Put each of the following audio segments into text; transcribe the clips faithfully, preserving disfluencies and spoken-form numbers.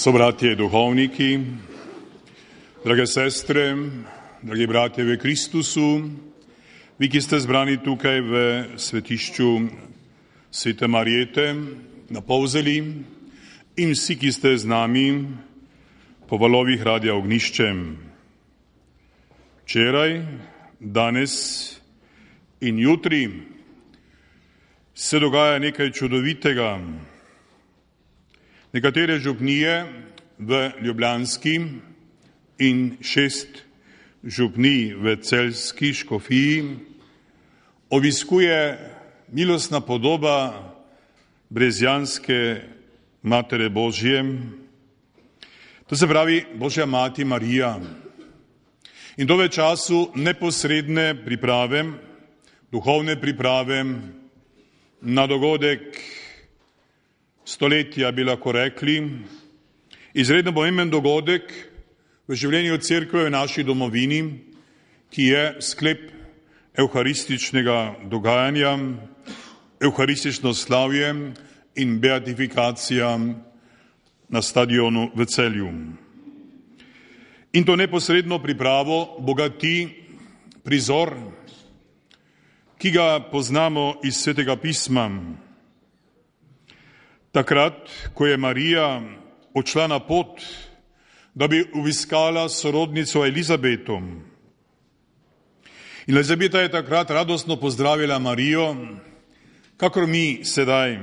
Sobratje duhovniki, drage sestre, dragi bratje v Kristusu, vi, ki ste zbrani tukaj v svetišču Svete Marjete na Polzeli in vsi, ki ste z nami po valovih Radia Ognjišče. Včeraj, danes in jutri se dogaja nekaj čudovitega. Nekatere župnije v Ljubljanski in šest župnij v Celjski škofiji obiskuje milostna podoba brezjanske Matere Božje, to se pravi Božja mati Marija. In to v času neposredne priprave, duhovne priprave na dogodek stoletja, bi lahko rekli, izredno pomemben dogodek v življenju cerkve v naši domovini, ki je sklep evharističnega dogajanja, evharistično slavje in beatifikacija na stadionu v Celju. In to neposredno pripravo bogati prizor, ki ga poznamo iz Svetega pisma. Takrat, ko je Marija odšla na pot, da bi obiskala sorodnico Elizabeto. In Elizabeta je takrat radostno pozdravila Marijo, kakor mi sedaj,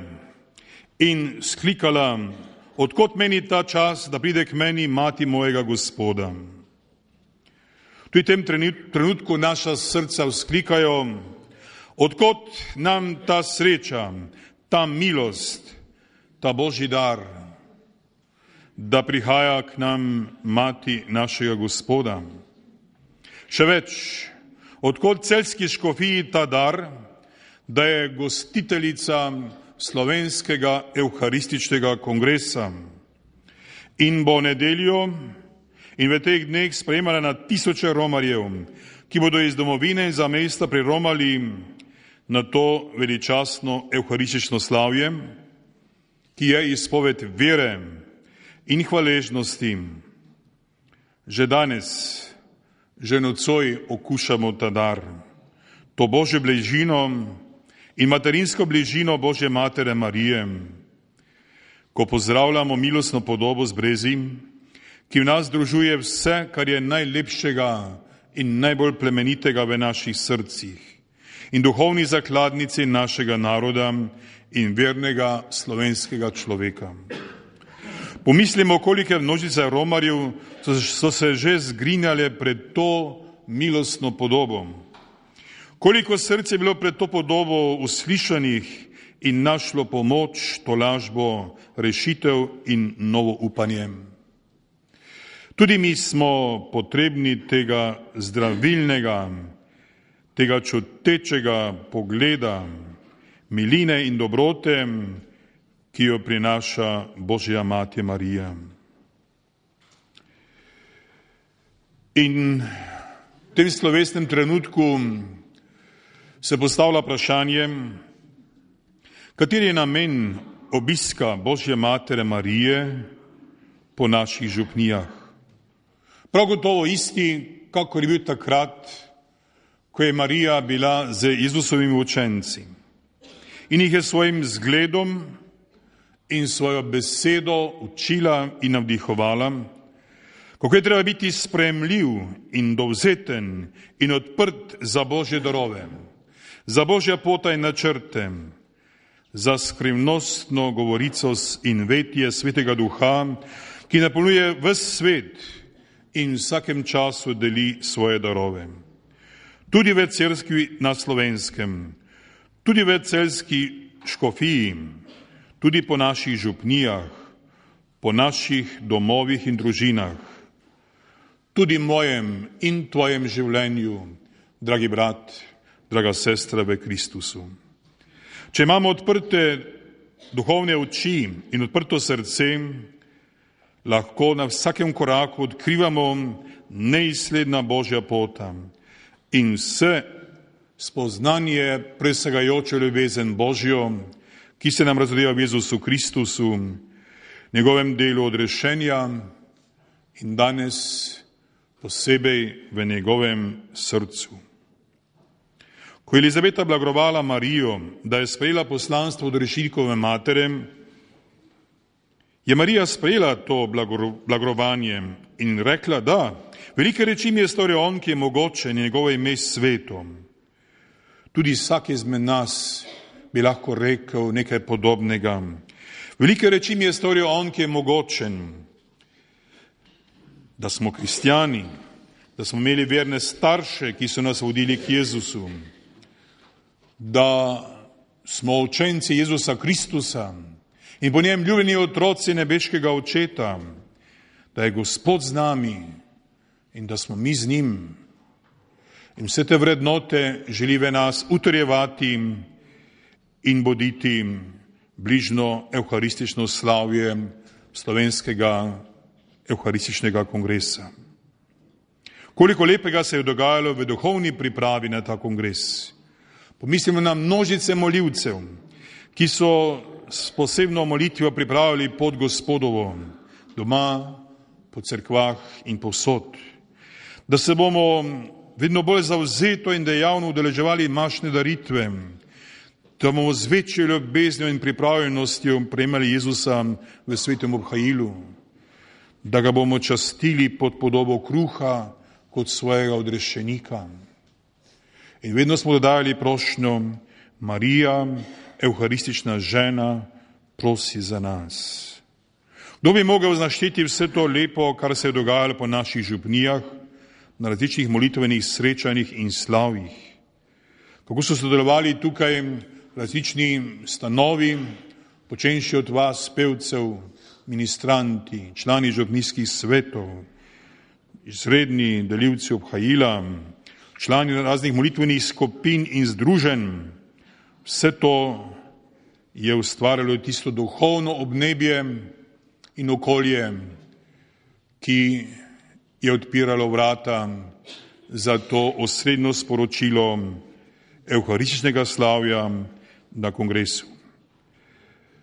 in sklikala: odkot meni ta čas, da pride k meni mati mojega Gospoda. Tudi v tem trenutku naša srca vzklikajo: odkot nam ta sreča, ta milost, ta Božji dar, da prihaja k nam mati našega Gospoda. Še več, odkot Celjski škofiji ta dar, da je gostiteljica slovenskega evharističnega kongresa in bo nedeljo in v teh dneh sprejemala na tisoče romarjev, ki bodo iz domovine in za mesta priromali na to veličastno evharistično slavje, ki je izpoved vere in hvaležnosti. Že danes, že nocoj okušamo ta dar, to Božjo bližino in materinsko bližino Božje Matere Marije, ko pozdravljamo milostno podobo z brezi, ki v nas združuje vse, kar je najlepšega in najbolj plemenitega v naših srcih in duhovni zakladnici našega naroda in vernega slovenskega človeka. Pomislimo, kolike množice romarjev so se že zgrinjale pred to milostno podobo. Koliko src je bilo pred to podobo uslišanih in našlo pomoč, tolažbo, rešitev in novo upanje. Tudi mi smo potrebni tega zdravilnega, tega čutečega pogleda, miline in dobrote, ki jo prinaša Božja mati Marija. In v tem slovesnem trenutku se postavlja vprašanje, kateri je namen obiska Božje Matere Marije po naših župnijah. Prav gotovo isti, kakor je bil takrat, ko je Marija bila z Jezusovimi učenci in jih je svojim zgledom in svojo besedo učila in navdihovala, kako je treba biti sprejemljiv in dovzeten in odprt za Božje darove, za Božja pota in načrte, za skrivnostno govorico in vetje Svetega Duha, ki napolnjuje ves svet in v vsakem času deli svoje darove. Tudi v Cerkvi na Slovenskem, tudi v Celjski škofiji, tudi po naših župnijah, po naših domovih in družinah, tudi mojem in tvojem življenju, dragi brat, draga sestra v Kristusu. Če imamo odprte duhovne oči in odprto srce, lahko na vsakem koraku odkrivamo neizsledna Božja pota in vse spoznanje presegajoče ljubezen Božjo, ki se nam razodeva v Jezusu Kristusu, njegovem delu odrešenja in danes posebej v njegovem srcu. Ko je Elizabeta blagovala Marijo, da je sprejela poslanstvo od rešilkove matere, je Marija sprejela to blagovanje in rekla, da, velike reči mi je storil on, ki je mogočen, njegovo ime svetom. Tudi vsak izmed nas bi lahko rekel nekaj podobnega. Velike reči mi je storil on, ki je mogočen, da smo kristjani, da smo imeli verne starše, ki so nas vodili k Jezusu, da smo učenci Jezusa Kristusa in po njem ljubljeni otroci nebeškega očeta, da je Gospod z nami in da smo mi z njim. In vse te vrednote želi v nas utrjevati in boditi bližno evharistično slavje slovenskega evharističnega kongresa. Koliko lepega se je dogajalo v duhovni pripravi na ta kongres. Pomislimo na množice molivcev, ki so s posebno molitvijo pripravili pot Gospodovo doma, po cerkvah in povsod. Da se bomo vedno bolj zavzeto in dejavno udeleževali mašne daritve, da bomo z večjo ljubeznijo in pripravljenostjo prejemali Jezusa v svetem obhajilu, da ga bomo častili pod podobo kruha kot svojega odrešenika. In vedno smo dodajali prošnjo, Marija, evharistična žena, prosi za nas. Kdo bi mogel znašteti vse to lepo, kar se je dogajalo po naših župnijah, na različnih molitvenih srečanjih in slavjih? Kako so sodelovali tukaj različni stanovi, počenši od vas, pevcev, ministranti, člani župnijskih svetov, izredni delivci obhajila, člani raznih molitvenih skupin in združenj. Vse to je ustvarjalo tisto duhovno obnebje in okolje, ki je odpiralo vrata za to osrednjo sporočilo evharističnega slavja na kongresu.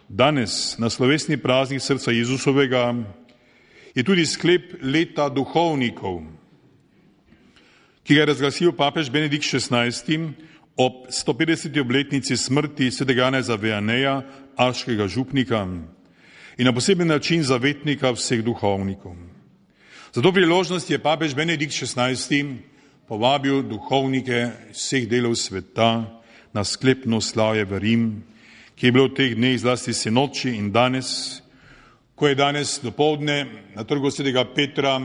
Danes, na slovesni praznik srca Jezusovega, je tudi sklep leta duhovnikov, ki ga je razglasil papež Benedikt šestnajsti ob sto petdeseti obletnici smrti svetega Janeza Vianeja, aškega župnika in na poseben način zavetnika vseh duhovnikov. Za to priložnost je papež Benedikt šestnajsti povabil duhovnike vseh delov sveta na sklepno slavje v Rim, ki je bilo v teh dneh zlasti sinoči in danes, ko je danes dopoldne na trgu svetega Petra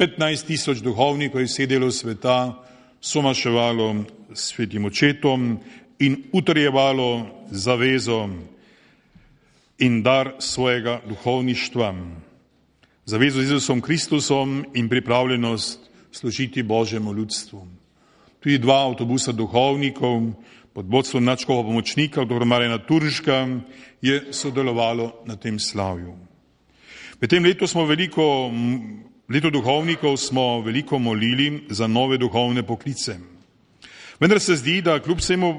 petnajst tisoč duhovnikov iz vseh delov sveta somaševalo s svetim očetom in utrjevalo zavezo in dar svojega duhovništva, zavezo z Jezusom Kristusom in pripravljenost služiti Božjemu ljudstvu. Tudi dva avtobusa duhovnikov pod vodstvom nadškofovega pomočnika, dr. Marjana Turška, je sodelovalo na tem slavju. V tem letu smo veliko, leto duhovnikov smo veliko molili za nove duhovne poklice. Vendar se zdi, da kljub vsemu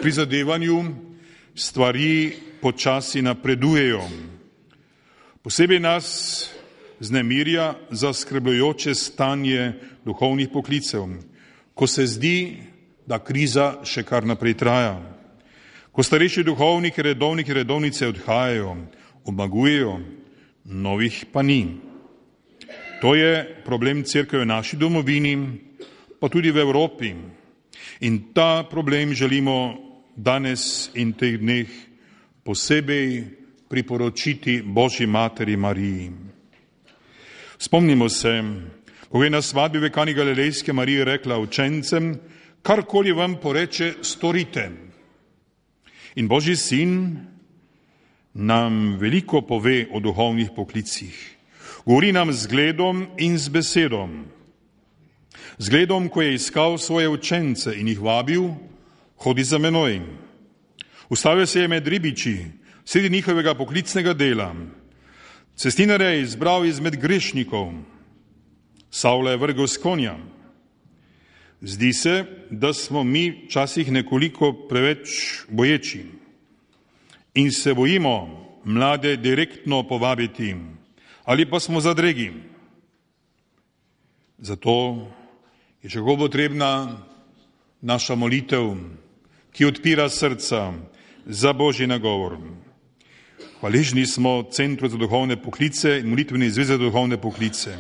prizadevanju stvari počasi napredujejo. Posebej nas znemirja zaskrbljujoče stanje duhovnih poklicev, ko se zdi, da kriza še kar naprej traja. Ko starejši duhovniki, redovniki, redovnice odhajajo, omagujejo, novih pa ni. To je problem cerkve v naši domovini, pa tudi v Evropi. In ta problem želimo danes in teh dneh posebej priporočiti Božji materi Mariji. Spomnimo se, ko je na svadbi v Kani Galilejske Marija rekla učencem, karkoli vam poreče, storite. In Božji sin nam veliko pove o duhovnih poklicih. Govori nam z zgledom in z besedom. Zgledom, ko je iskal svoje učence in jih vabil, hodi za menoj. Ustavil se je med ribiči, sredi njihovega poklicnega dela. Cestinarja je izbral izmed grešnikov, Savla je vrgel s konja. Zdi se, da smo mi včasih nekoliko preveč boječi in se bojimo mlade direktno povabiti, ali pa smo zadregi. Zato je še kako potrebna naša molitev, ki odpira srca za Božji nagovor. Hvaležni smo Centru za duhovne poklice in Molitveni zvezi za duhovne poklice.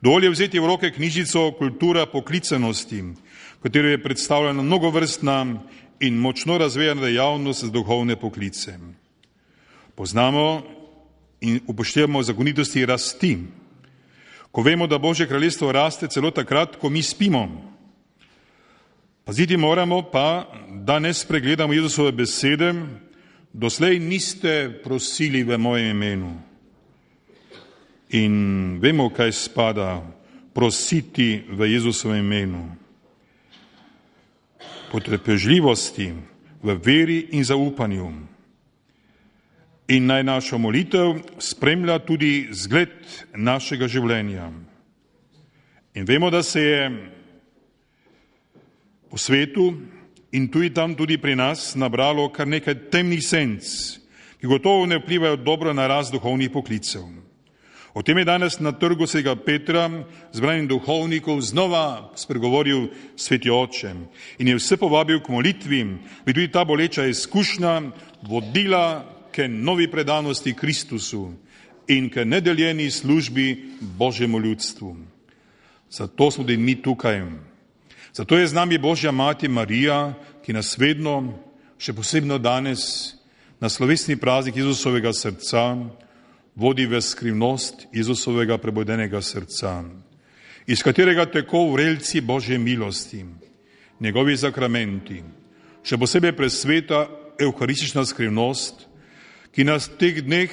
Dovolj je vzeti v roke knjižico Kultura poklicanosti, v katero je predstavljena mnogovrstna in močno razvejana dejavnost za duhovne poklice. Poznamo in upoštevamo zakonitosti rasti, ko vemo, da Božje kraljestvo raste celo takrat, ko mi spimo. Paziti moramo pa, da ne spregledamo Jezusove besede: doslej niste prosili v mojem imenu. In vemo, kaj spada prositi v Jezusovem imenu. Potrpežljivosti, v veri in zaupanju. In naj našo molitev spremlja tudi zgled našega življenja. In vemo, da se je po svetu in tudi tam, tudi pri nas, nabralo kar nekaj temnih senc, ki gotovo ne vplivajo dobro na rast duhovnih poklicev. O tem je danes na trgu svetega Petra zbranim duhovnikov znova spregovoril sveti oče in je vse povabil k molitvi, bi tudi ta boleča izkušnja vodila k novi predanosti Kristusu in k nedeljeni službi Božjemu ljudstvu. Zato smo tudi mi tukaj. Zato je z nami Božja mati Marija, ki nas vedno, še posebno danes, na slovesni praznik Jezusovega srca vodi v skrivnost Jezusovega prebudenega srca, iz katerega teko vrelci Božje milosti, njegovi sakramenti, še posebej presveta evharistična skrivnost, ki nas v teh dneh,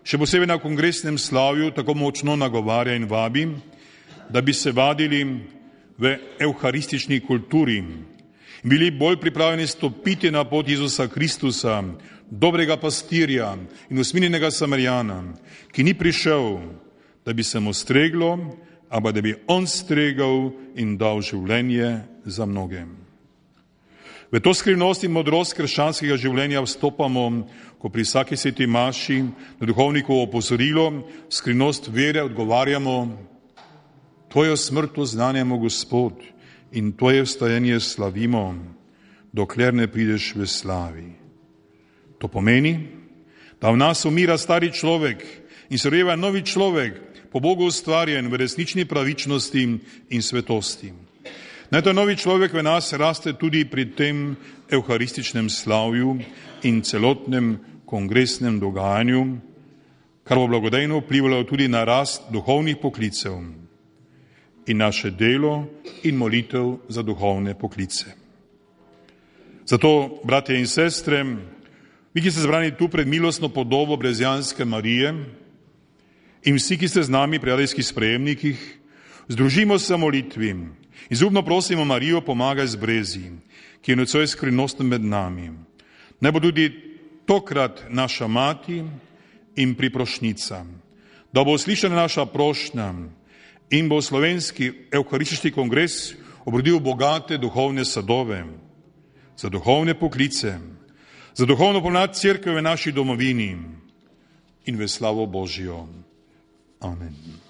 še posebej na kongresnem slavju, tako močno nagovarja in vabi, da bi se vadili v evharistični kulturi in bili bolj pripravljeni stopiti na pot Jezusa Kristusa, dobrega pastirja in usmiljenega Samarijana, ki ni prišel, da bi se mu streglo, ampak da bi on stregel in dal življenje za mnoge. V to skrivnost in modrost krščanskega življenja vstopamo, ko pri vsaki sveti maši na duhovnikovo opozorilo skrivnost vere odgovarjamo: Tvojo smrt oznanjamo, Gospod, in Tvoje vstajenje slavimo, dokler ne prideš v slavi. To pomeni, da v nas umira stari človek in se rojeva novi človek, po Bogu ustvarjen v resnični pravičnosti in svetosti. Naj ta novi človek v nas raste tudi pri tem evharističnem slavju in celotnem kongresnem dogajanju, kar bo blagodejno vplivalo tudi na rast duhovnih poklicev in naše delo in molitev za duhovne poklice. Zato, bratje in sestre, vi, ki ste zbrani tu pred milostno podobo brezjanske Marije in vsi, ki ste z nami pri radijskih sprejemnikih, združimo se v molitvi in zubno prosimo Marijo, pomagaj z brezi, ki je nocoj skrivnostna med nami. Naj bo tudi tokrat naša mati in priprošnica, da bo uslišana naša prošnja in bo slovenski evharistični kongres obrodil bogate duhovne sadove za duhovne poklice, za duhovno pomlad cerkve v naši domovini in v slavo Božjo. Amen.